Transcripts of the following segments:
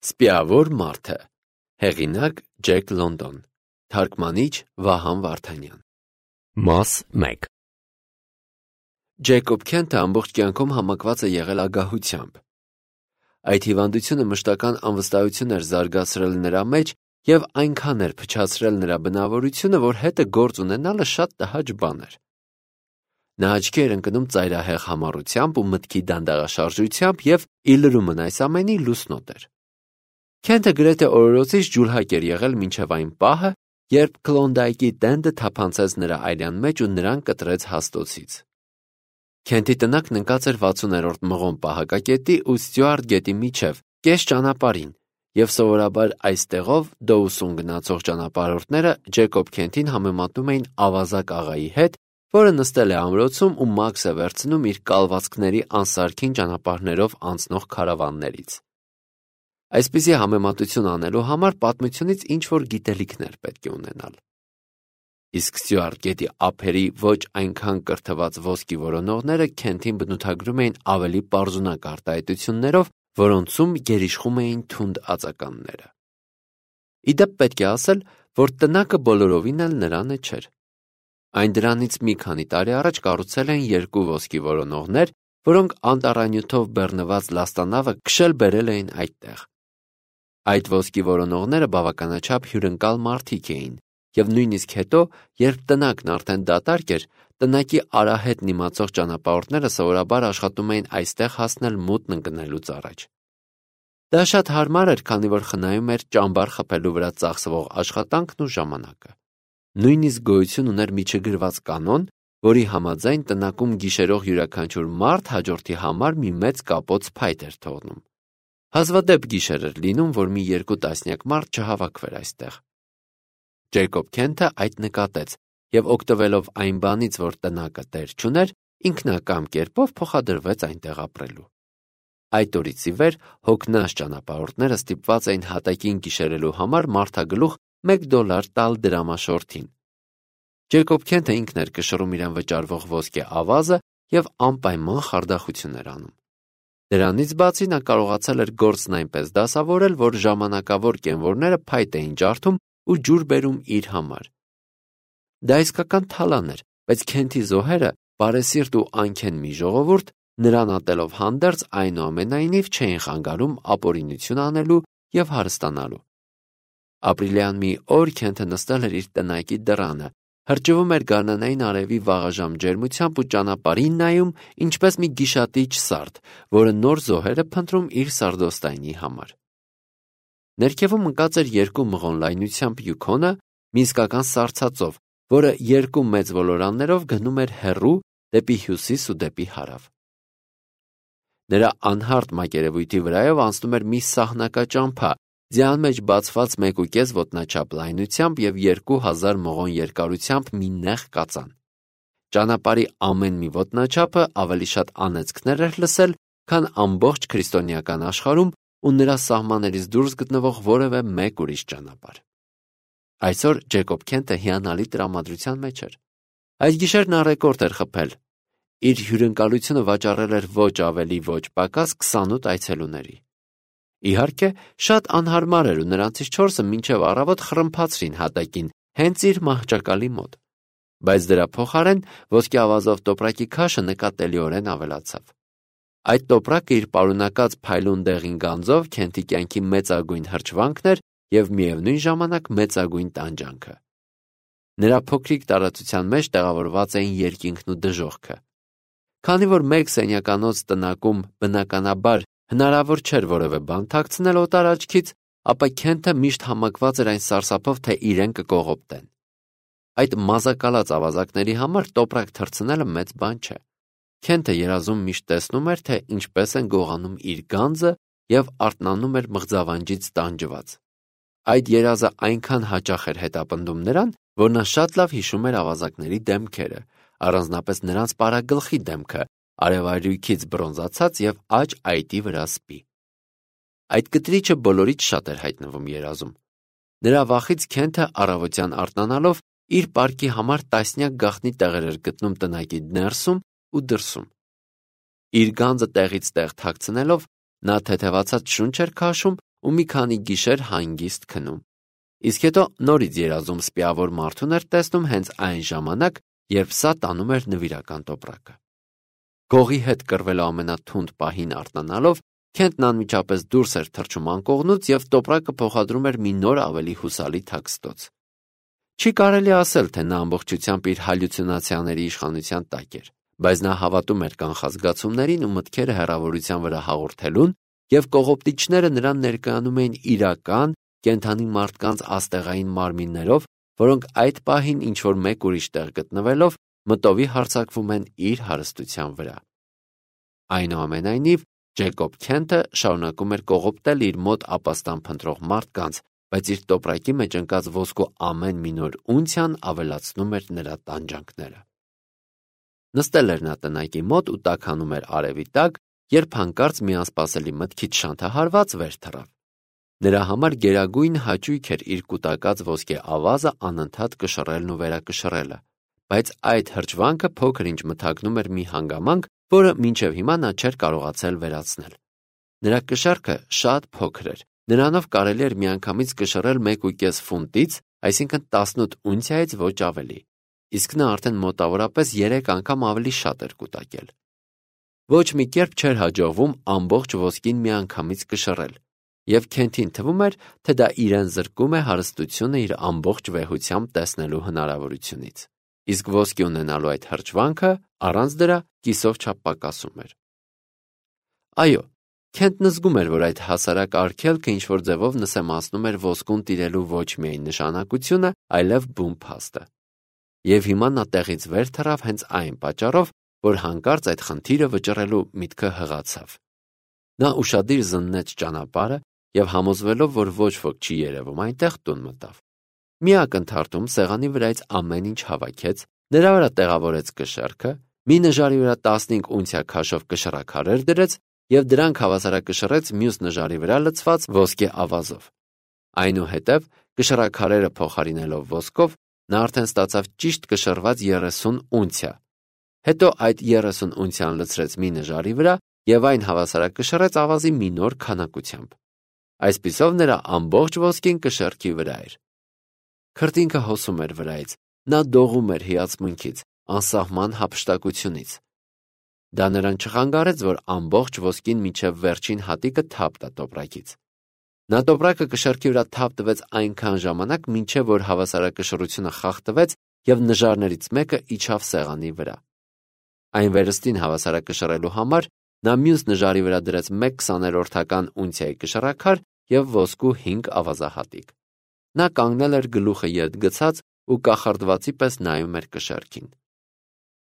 Սպիավոր մարդը, հեղինակ Ջեք Լոնդոն, թարգմանիչ Վահան Վարդանյան։ Մաս 1 Ջեյկոբ Քենթը ամբողջ կյանքում համակված է եղել ագահությամբ։ Այդ հիվանդությունը մշտական անվստահություն էր զարգացրել նրա մեջ և այնքան էր փչացրել նրա բնավորությունը, որ հետը գործ ունենալը շատ տհաճ բան էր։ Նա աչքի էր ընկնում ծայրահեղ համառությամբ ու մտքի դանդաղաշարժությամբ և ի լրումն այս ամենի լուսնոտ էր։ Քենթը գրեթե օրորոցից ջուլհակ էր եղել մինչև այն պահը, երբ Քլոնդայքի տենդը թափանցեց նրա այլյան մեջ ու նրան կտրեց հաստոցից։ Քենթի տնակն ընկած էր 60-րդ մղոն պահակակետի ու Ստյուարտ գետի միջև, կես ճանապարհին, և սովորաբար այստեղով Դոուսուն գնացող ճանապարհորդները Ջեյկոբ Քենթին համեմատում էին ավազակ աղայի հետ, որը նստել է ամրոցում ու մաքս է վերցնում իր կալվածքների անսարքին ճանապարհներով անցնող քարավաններից։ Այսպիսի համեմատություն անելու համար պատմությունից ինչ-որ գիտելիքներ պետք է ունենալ։ Իսկ Ստյուարտ գետի ափերի ոչ այնքան կրթված ոսկի որոնողները Քենթին բնութագրում էին ավելի պարզունակ արտահայտություններով, որոնցում գերիշխում էին թունդ ածականները։ Ի դեպ պետք է ասել, որ տնակը բոլորովին էլ նրանը չէր։ Այն դրանից մի քանի տարի առաջ կառուցել են երկու ոսկի որոնողներ, որոնք անտառանյութով բեռնված լաստանավը քշել բերել էին այդտեղ։ Այդ ոսկի որոնողները բավականաչափ հյուրընկալ մարդիկ էին, և նույնիսկ հետո, երբ տնակն արդեն դատարկ էր, տնակի արահետն իմացող ճանապարհորդները սովորաբար աշխատում էին այստեղ հասնել մութն ընկնելուց առաջ։ Դա շատ հարմար էր, քանի որ խնայում էր ճամբար խփելու վրա ծախսվող աշխատանքն ու ժամանակը։ Նույնիսկ գոյություն ուներ մի չգրված կանոն, որի համաձայն տնակում գիշերող յուրաքանչյուր մարդ հաջորդի համար մի մեծ կապոց փայտ էր թողնում։ Հազվադեպ գիշեր էր լինում, որ մի 2 տասնյակ մարդ չհավաքվեր այստեղ։ Ջեյկոբ Քենթը այդ նկատեց և օգտվելով այն բանից, որ տնակը տեր չուներ, ինքնակամ կերպով փոխադրվեց այնտեղ ապրելու։ Այդ օրից ի վեր հոգնած ճանապարհորդները ստիպված էին հատակին գիշերելու համար մարդագլուխ $1 տալ դրամաշորթին։ Ջեյկոբ Քենթը ինքն էր կշռում իրեն վճարվող ոսկե ավազը և անպայման խարդախություն էր անում։ Դրանից բացի նա կարողացել էր գործն այնպես դասավորել, որ ժամանակավոր կենվորները փայտ էին ջարդում ու ջուր բերում իր համար։ Դա իսկական թալան էր, բայց Քենթի զոհերը, բարեսիրտ ու անքեն մի ժողովուրդ, նրան ատելով հանդերձ այնուամենայնիվ չէին խանգարում ապօրինություն անելու և հարստանալու։ Ապրիլյան մի օր Քենթը նստել էր իր տնակի դռանը, հրճվում էր գարնանային արևի վաղաժամ ջերմությամբ ու ճանապարհին նայում, ինչպես մի գիշատիչ սարդ, որը նոր զոհեր է փնտրում իր սարդոստայնի համար։ Ներքևում ընկած էր 2 մղոն լայնությամբ Յուքոնը, մի իսկական սառցածով, որը 2 մեծ ոլորաններով գնում էր հեռու դեպի հյուսիս ու դեպի հարավ։ Նրա անհարթ մակերևույթի վրայով անցնում էր մի սահնակաճամփա, ձյան մեջ բացված 1.5 ոտնաչափ լայնությամբ և 2000 մղոն երկարությամբ մի նեղ կածան։ Ճանապարհի ամեն մի ոտնաչափը ավելի շատ անեծքներ էր լսել, քան ամբողջ քրիստոնեական աշխարհում ու նրա սահմաններից դուրս գտնվող որևէ մեկ ուրիշ ճանապարհ։ Այսօր Ջեյկոբ Քենթը հիանալի տրամադրության մեջ էր։ Այդ գիշեր նա ռեկորդ էր խփել։ Իր հյուրընկալությունը վաճառել էր ոչ ավելի ոչ պակաս 28 այցելուների։ Իհարկե, շատ անհարմար էր ու նրանցից 4-ը մինչև առավոտ խռմփացրին հատակին, հենց իր մահճակալի մոտ։ Բայց դրա փոխարեն ոսկե ավազով տոպրակի քաշը նկատելիորեն ավելացավ։ Այդ տոպրակը իր պարունակած փայլուն դեղին գանձով Քենթի կյանքի մեծագույն հրճվանքն էր և միևնույն ժամանակ մեծագույն տանջանքը։ Նրա փոքրիկ տարածության մեջ տեղավորված էին երկինքն ու դժոխքը։ Քանի որ մեկ սենյականոց տնակում բնականաբար հնարավոր չէր որևէ բան թաքցնել օտար աչքից, ապա Քենթը միշտ համակված էր այն սարսափով, թե իրեն կկողոպտեն։ Այդ մազակալած ավազակների համար տոպրակ թռցնելը մեծ բան չէ։ Քենթը երազում միշտ տեսնում էր, թե ինչպես են գողանում իր գանձը և արթնանում էր մղձավանջից տանջված։ Այդ երազը այնքան հաճախ էր հետապնդում նրան, որ նա շատ լավ հիշում էր ավազակների դեմքերը, առանձնապես նրանց պարագլխի դեմքը, արևայրույքից բրոնզացած և աջ այտի վրա սպի։ Այդ կտրիչը բոլորից շատ էր հայտնվում երազում։ Նրա վախից Քենթը առավոտյան արթնանալով իր պարկի համար տասնյակ գաղտնի տեղեր էր գտնում տնակի ներսում ու դրսում։ Իր գանձը տեղից տեղ թաքցնելով, նա թեթևացած շունչ էր քաշում ու մի քանի գիշեր հանգիստ քնում։ Իսկ հետո նորից երազում սպիավոր մարդուն էր տեսնում հենց այն ժամանակ, երբ սա տանում էր նվիրական տոպրակը։ Գողի հետ կռվելու ամենաթունդ պահին արթնանալով, Քենթն անմիջապես դուրս էր թռչում անկողնուց և տոպրակը փոխադրում էր մի նոր ավելի հուսալի թաքստոց։ Չի կարելի ասել, թե նա ամբողջությամբ իր հալյուցինացիաների իշխանության տակ էր, բայց նա հավատում էր կանխազգացումներին ու մտքերը հեռավորության վրա հաղորդելուն, և կողոպտիչները նրան ներկայանում էին իրական, կենդանի մարդկանց աստեղային մարմիններով, որոնք այդ պահին ինչ-որ մեկ ուրիշ տեղ գտնվելով մտովի հարձակվում են իր հարստության վրա։ Այնուամենայնիվ, Ջեյկոբ Քենթը շարունակում էր կողոպտել իր մոտ ապաստան փնտրող մարդկանց, բայց իր տոպրակի մեջ ընկած ոսկու ամեն մի նոր ունցիան ավելացնում էր նրա տանջանքները։ Նստել էր նա տնակի մոտ ու տաքանում էր արևի տակ, երբ հանկարծ մի անսպասելի մտքից շանթահարված վեր թռավ։ Նրա համար գերագույն հաճույք էր իր կուտակած ոսկե ավազը անընդհատ կշռելն ու վերակշռելը, բայց այդ հրճվանքը փոքր-ինչ մթագնում էր մի հանգամանք, որը մինչև հիմա նա չէր կարողացել վերացնել։ Նրա կշեռքը շատ փոքր էր, նրանով կարելի էր միանգամից կշռել 1.5 ֆունտից, այսինքն 18 ունցիայից ոչ ավելի, իսկ նա արդեն մոտավորապես 3 անգամ ավելի շատ էր կուտակել։ Ոչ մի կերպ չէր հաջողվում ամբողջ ոսկին միանգամից կշռել, և Քենթին թվում էր, թե դա իրեն զրկում է հարստությունը իր ամբողջ վեհությամբ տեսնելու հնարավորությունից, իսկ ոսկի ունենալու այդ հրճվանքը առանց դրա կիսով չափ պակասում էր։ Այո, Քենթն զգում էր, որ այդ հասարակ արգելքը ինչ-որ ձևով նսեմացնում էր ոսկուն տիրելու ոչ միայն նշանակությունը, այլև բուն փաստը։ Եվ հիմա նա տեղից վեր թռավ հենց այն պատճառով, որ հանկարծ այդ խնդիրը վճռելու միտքը հղացավ։ Նա ուշադիր զննեց ճանապարհը և համոզվելով, որ ոչ ոք չի երևում այնտեղ, տուն մտավ։ Մի ակնթարթում սեղանի վրայից ամեն ինչ հավաքեց, նրա վրա տեղավորեց կշեռքը, մի նժարի վրա 15 ունցիա քաշով կշռաքարեր դրեց և դրանք հավասարակշռեց մյուս նժարի վրա լցված ոսկե ավազով։ Այնուհետև, կշռաքարերը փոխարինելով ոսկով, նա արդեն ստացավ ճիշտ կշռված 30 ունցիա։ Հետո այդ 30 ունցիան լցրեց մի նժարի վրա և այն հավասարակշռեց ավազի մի նոր քանակությամբ։ Այսպիսով նրա ամբողջ ոսկին կշեռքի վրա էր։ Քրտինքը հոսում էր վրայից, նա դողում էր հիացմունքից, անսահման հափշտակությունից։ Դա նրան չխանգարեց, որ ամբողջ ոսկին մինչև վերջին հատիկը թափ տա տոպրակից։ Նա տոպրակը կշեռքի վրա թափ տվեց այնքան ժամանակ, մինչև որ հավասարակշռությունը խախտվեց և նժարներից մեկը իջավ սեղանի վրա։ Այն վերստին հավասարակշռելու համար նա մյուս նժարի վրա դրեց 1/20 ունցիայի կշռաքար և ոսկու 5 ավազահատիկ։ Նա կանգնել էր գլուխը ետ գցած ու կախարդվածի պես նայում էր կշեռքին։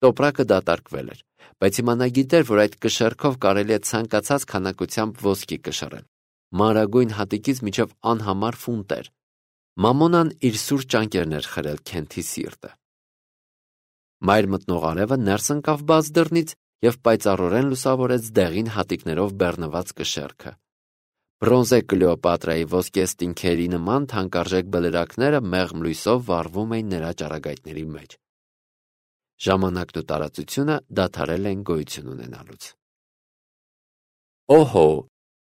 Տոպրակը դատարկվել էր, բայց հիմա նա գիտեր, որ այդ կշեռքով կարելի է ցանկացած քանակությամբ ոսկի կշռել, մանրագույն հատիկից մինչև անհամար ֆունտեր։ Մամոնան իր սուր ճանկերն էր խրել Քենթի սիրտը։ Մայր մտնող արևը ներս ընկավ բաց դռնից և պայծառորեն լուսավորեց դեղին հատիկներով բեռնված կշեռքը։ Բրոնզե Կլեոպատրայի ոսկե ստինքերի նման թանկարժեք բլրակները մեղմ լույսով վառվում էին նրա ճառագայթների մեջ։ Ժամանակն ու տարածությունը դադարել են գոյություն ունենալուց։ Օհո,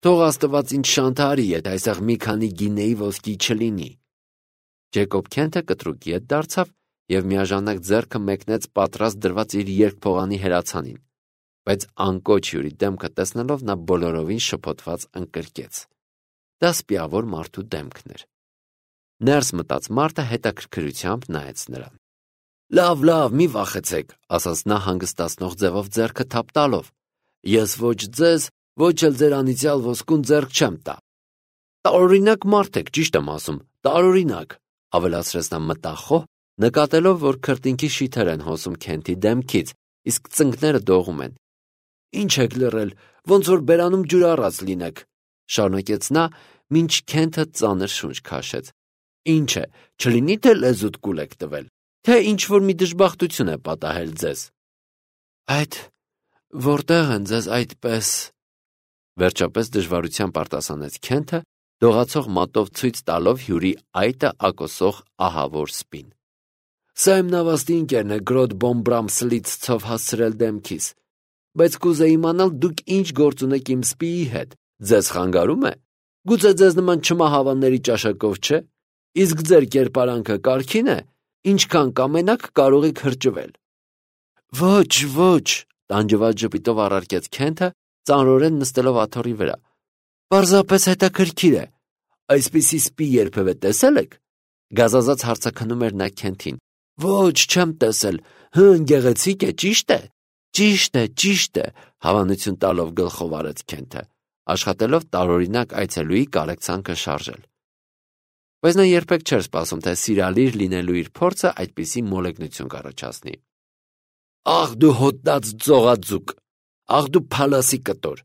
թող Աստված ինձ շանթարի, եթե այստեղ մի քանի գինեի ոսկի չլինի։ Ջեյկոբ Քենթը կտրուկ ետ դարձավ և միաժամանակ ձեռքը մեկնեց պատրաստ դրված իր երկփողանի հրացանին, բայց անկոչ հյուրի դեմքը տեսնելով նա բոլորովին շփոթված ընկրկեց։ Դա սպիավոր մարդու դեմքն էր։ Ներս մտած մարդը հետաքրքրությամբ նայեց նրան։ Լավ, մի վախեցեք, ասաց նա հանգստացնող ձևով ձեռքը թափ տալով։ Ես ոչ ձեզ, ոչ էլ ձեր անիծյալ ոսկուն ձեռք չեմ տա։ Տարօրինակ մարդ եք, ճիշտ եմ ասում, տարօրինակ, ավելացրեց նա մտախոհ, նկատելով, որ քրտինքի շիթեր են հոսում Քենթի դեմքից, իսկ ծնկները դողում են։ Ինչ եք լռել, ոնց որ բերանում ջուր առած լինեք, շարունակեց նա, մինչ Քենթը ծանր շունչ քաշեց։ Ինչ է, չլինի թե լեզուդ կուլ եք տվել, թե ինչ-որ մի դժբախտություն է պատահել ձեզ։ Այդ որտեղ են ձեզ այդպես, վերջապես դժվարությամբ արտասանեց Քենթը, դողացող մատով ցույց տալով հյուրի այտը ակոսող ահավոր սպին։ Սա իմ նավաստի ընկերն է Գրոդ Բոմբրամսլից ցով հասցրել դեմքիս, բայց կուզեի իմանալ դուք ինչ գործ ունեք իմ սպիի հետ, ձեզ խանգարում է։ Գուցե ձեզ նման չմահավանների ճաշակով չէ, իսկ ձեր կերպարանքը կարգին է, ինչքան կամենաք կարող եք հրճվել։ Ոչ, ոչ, տանջված ժպիտով առարկեց Քենթը, ծանրորեն նստելով աթոռի վրա։ Պարզապես հետաքրքիր է, այսպիսի սպի երբևէ տեսել եք։ Գազազած հարցաքնում էր նա Քենթին։ Ոչ, չեմ տեսել, գեղեցիկ է, ճիշտ է։ Ճիշտ է, հավանություն տալով գլխով արեց Քենթը, աշխատելով տարօրինակ այցելուի կարեկցանքը շարժել։ Բայց նա երբեք չէր սպասում, թե սիրալիր լինելու իր փորձը այդպիսի մոլեգնություն կառաջացնի։ Ախ դու հոտած ծողաձուկ, ախ դու փալասի կտոր,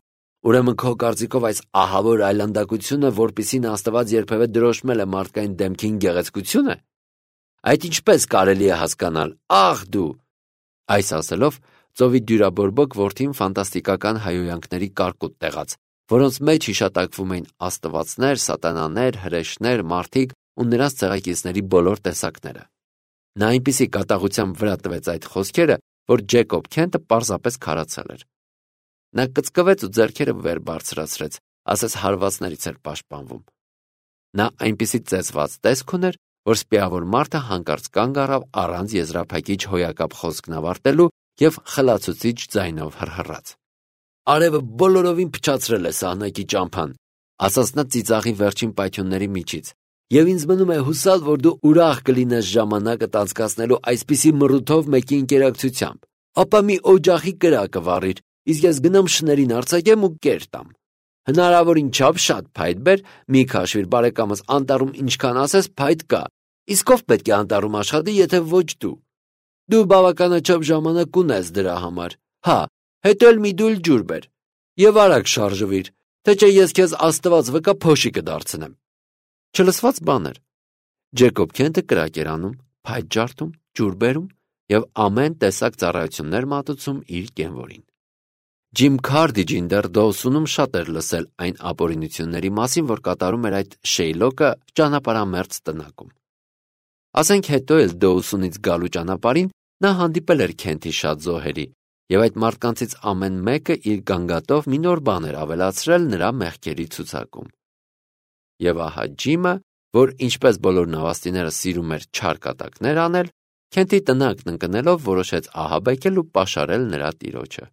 ուրեմն քո կարծիքով այս ահավոր այլանդակությունը, որպիսին Աստված երբևէ դրոշմել է մարդկային դեմքին գեղեցկությունը։ Այդ ինչպես կարելի է հասկանալ, ախ դու։ Այս ասելով ծովի դյուրաբորբոք որդին ֆանտաստիկական հայհոյանքների կարկուտ տեղաց, որոնց մեջ հիշատակվում էին աստվածներ, սատանաներ, հրեշներ, մարդիկ ու նրանց ցեղակիցների բոլոր տեսակները։ Նա այնպիսի կատաղությամբ վրա տվեց այդ խոսքերը, որ Ջեյկոբ Քենթը պարզապես քարացել էր։ Նա կծկվեց ու ձեռքերը վեր բարձրացրեց, ասես հարվածներից էր պաշտպանվում։ Նա այնպիսի ծեծված տեսք ուներ, որ սպիավոր մարդը հանկարծ կանգ առավ առանց եզրափակիչ հոյակապ խոսքն ավարտելու և խլացուցիչ ձայնով հռհռաց։ Արևը բոլորովին փչացրել է սահնակի ճամփան, ասաց նա ծիծաղի վերջին պայթյունների միջից, և ինձ մնում է հուսալ, որ դու ուրախ կլինես ժամանակդ անցկացնելու այսպիսի մռութով մեկի ընկերակցությամբ։ Ապա մի օջախի կրակը վառիր, իսկ ես գնամ շներին արձակեմ ու կեր տամ։ Հնարավորին չափ շատ փայտ բեր, մի քաշվիր բարեկամս, անտառում ինչքան ասես փայտ կա, իսկ ով պետք է անտառում աշխատի, եթե ոչ դու։ Դու բավականաչափ ժամանակ ունես դրա համար։ Հա, հետո էլ մի դույլ ջուր բեր և արագ շարժվիր, թե չէ ես քեզ Աստված վկա փոշի կդարձնեմ։ Չլսված բան էր։ Ջեյկոբ Քենթը կրակ էր անում, փայտ ջարդում, ջուր բերում և ամեն տեսակ ծառայություններ մատուցում իր կենվորին։ Ջիմ Քարդիջին դեռ Դոուսոնում շատ էր լսել այն ապօրինությունների մասին, որ կատարում էր այդ Շեյլոկը ճանապարհամերձ տնակում։ Ասենք հետո էլ Դոուսոնից գալու ճանապարհին նա հանդիպել էր Քենթի շատ զոհերի, և այդ մարդկանցից ամեն մեկը իր գանգատով մի նոր բան էր ավելացրել նրա մեղքերի ցուցակում։ Եվ ահա Ջիմը, որ ինչպես բոլոր նավաստիները սիրում էր չար կատակներ անել, Քենթի տնակն ընկնելով որոշեց ահաբեկել ու պաշարել նրա տիրոջը։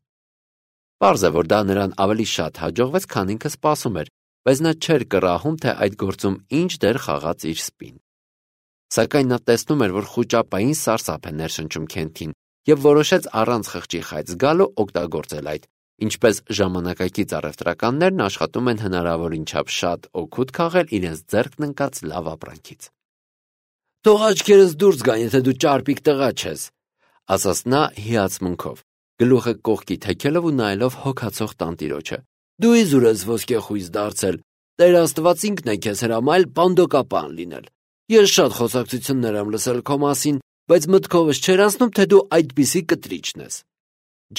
Պարզ է, որ դա նրան ավելի շատ հաջողվեց, քան ինքը սպասում էր, բայց նա չէր կռահում, թե այդ գործում ինչ դեր խաղաց իր սպին։ Սակայն նա տեսնում էր, որ խուճապային սարսափ է ներշնչում Քենթին, և որոշեց առանց խղճի խայծ գալու օգտագործել այդ, ինչպես ժամանակակից առևտրականներն աշխատում են հնարավորին չափ շատ օգուտ քաղել իրենց ձեռքն ընկած լավ ապրանքից։ Թող աչքերս դուրս գան, եթե դու ճարպիկ տղա չես, ասաց նա հիացմունքով, գլուխը կողքի թեքելով ու նայելով հոգացող տանտիրոջը։ Դու իզուր ես ոսկեխույս դարձել, Տեր Աստված ինքն է քեզ հրամայել պանդոկապան լինել։ Ես շատ խոսակցություններ եմ լսել քո մասին, բայց մտքովս չէր անցնում, թե դու այդպիսի կտրիչն ես։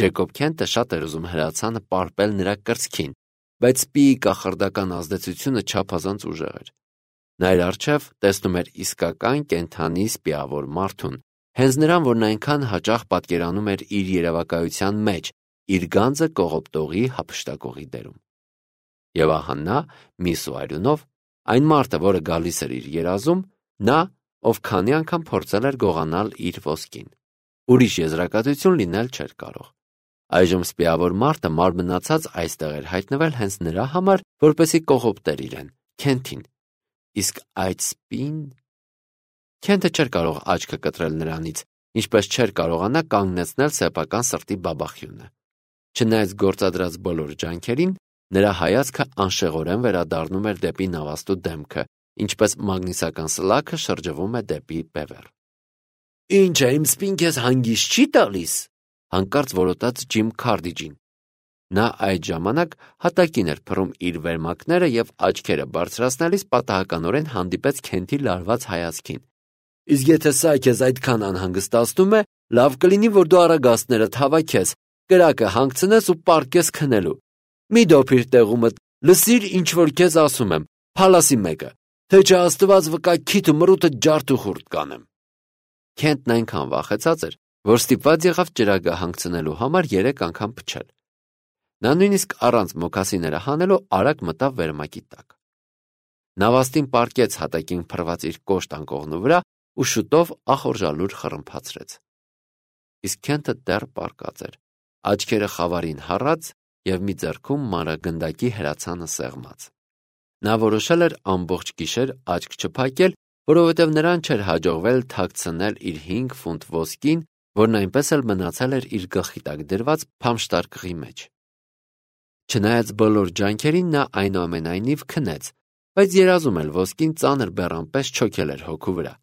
Ջեյկոբ Քենթը շատ էր ուզում հրացանը պարպել նրա կրծքին, բայց սպիի կախարդական ազդեցությունը չափազանց ուժեղ էր։ Նա իր առջև տեսնում էր իսկական կենդանի սպիավոր մարդուն, հենց նրան, որն այնքան հաճախ պատկերանում էր իր երևակայության մեջ, իր գանձը կողոպտողի հափշտակողի դերում։ Եվ ահա նա, մի սուարյունով, այն մարդը, որը գալիս էր իր երազում, նա, ով քանի անգամ փորձել էր գողանալ իր ոսկին։ Ուրիշ եզրակացություն լինել չէր կարող։ Այժմ սպիավոր մարդը մարմնացած այստեղ էր հայտնվել հենց նրա համար, որպեսզի կողոպտեր իրեն, Քենթին։ Իսկ այդ սպին… Քենթը չէր կարող աչքը կտրել նրանից, ինչպես չէր կարողանա կանգնեցնել սեփական սրտի բաբախյունը։ Չնայած գործադրած բոլոր ջանքերին, նրա հայացքը անշեղորեն վերադառնում էր դեպի նավաստու դեմքը, ինչպես մագնիսական սլաքը շրջվում է դեպի բևեռ։ Ինչ է, իմ սպին քեզ հանգիստ չի տալիս, հանկարծ որոտաց Ջիմ Քարդիջին։ Նա այդ ժամանակ հատակին էր փռում իր վերմակները և աչքերը բարձրացնելիս պատահականորեն հանդիպեց Քենթի լարված հայացքին։ Իսկ եթե սա քեզ այդքան անհանգստացնում է, լավ կլինի, որ դու առագաստներդ հավաքես, կրակը հանգցնես ու պառկես քնելու։ Մի դոփիր տեղումդ, լսիր, ինչ որ քեզ ասում եմ, փալասի մեկը, թե չէ Աստված վկա քիթ ու մռութը ջարդ ու խուրդ կանեմ։ Քենթն այնքան վախեցած էր, որ ստիպված եղավ ճրագը հանգցնելու համար 3 անգամ փչել։ Նա նույնիսկ առանց մոքասիները հանելու արագ մտավ վերմակի տակ։ Նավաստին պառկեց հատակին փռված իր կոշտ անկողնու վրա ու շուտով ախորժալուր խռմփացրեց։ Իսկ Քենթը դեռ պառկած էր, աչքերը խավարին հառած և մի ձեռքում մանրագնդակի հրացանը սեղմած։ Նա որոշել էր ամբողջ գիշեր աչք չփակել, որովհետև նրան չէր հաջողվել թաքցնել իր 5 ֆունտ ոսկին, որն այնպես էլ մնացել էր իր գլխի տակ դրված փամշտարկղի մեջ։ Չնայած բոլոր ջանքերին նա այնուամենայնիվ քնեց, բայց երազում էլ ոսկին ծանր բեռան պես չոքել էր հոգու վրա։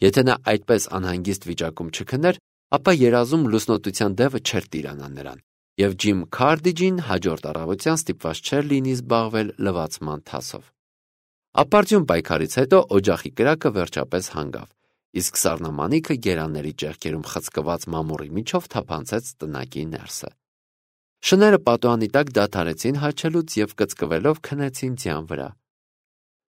Եթե նա այդպես անհանգիստ վիճակում չքներ, ապա երազում լուսնոտության դևը չէր տիրանա նրան, և Ջիմ Քարդիջին հաջորդ առավոտյան ստիպված չէր լինի զբաղվել լվացման թասով։ Ապարդյուն պայքարից հետո օջախի կրակը վերջապես հանգավ, իսկ սառնամանիքը գերանների ճեղքերում խցկված մամուռի միջով թափանցեց տնակի ներսը։ Շները պատուհանի տակ դադարեցին հաչելուց և կծկվելով քնեցին ձյան վրա։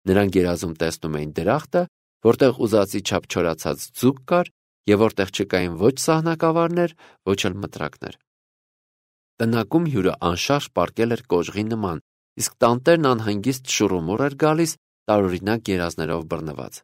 Նրանք երազում տեսնում էին դրախտը, որտեղ ուզածի չափ չորացած ձուկ կար և որտեղ չկային ոչ սահնակավարներ, ոչ էլ մտրակներ։ Տնակում հյուրը անշարժ պառկել էր կոժղի նման, իսկ տանտերն անհանգիստ շուռումուռ էր գալիս, տարօրինակ երազներով բռնված։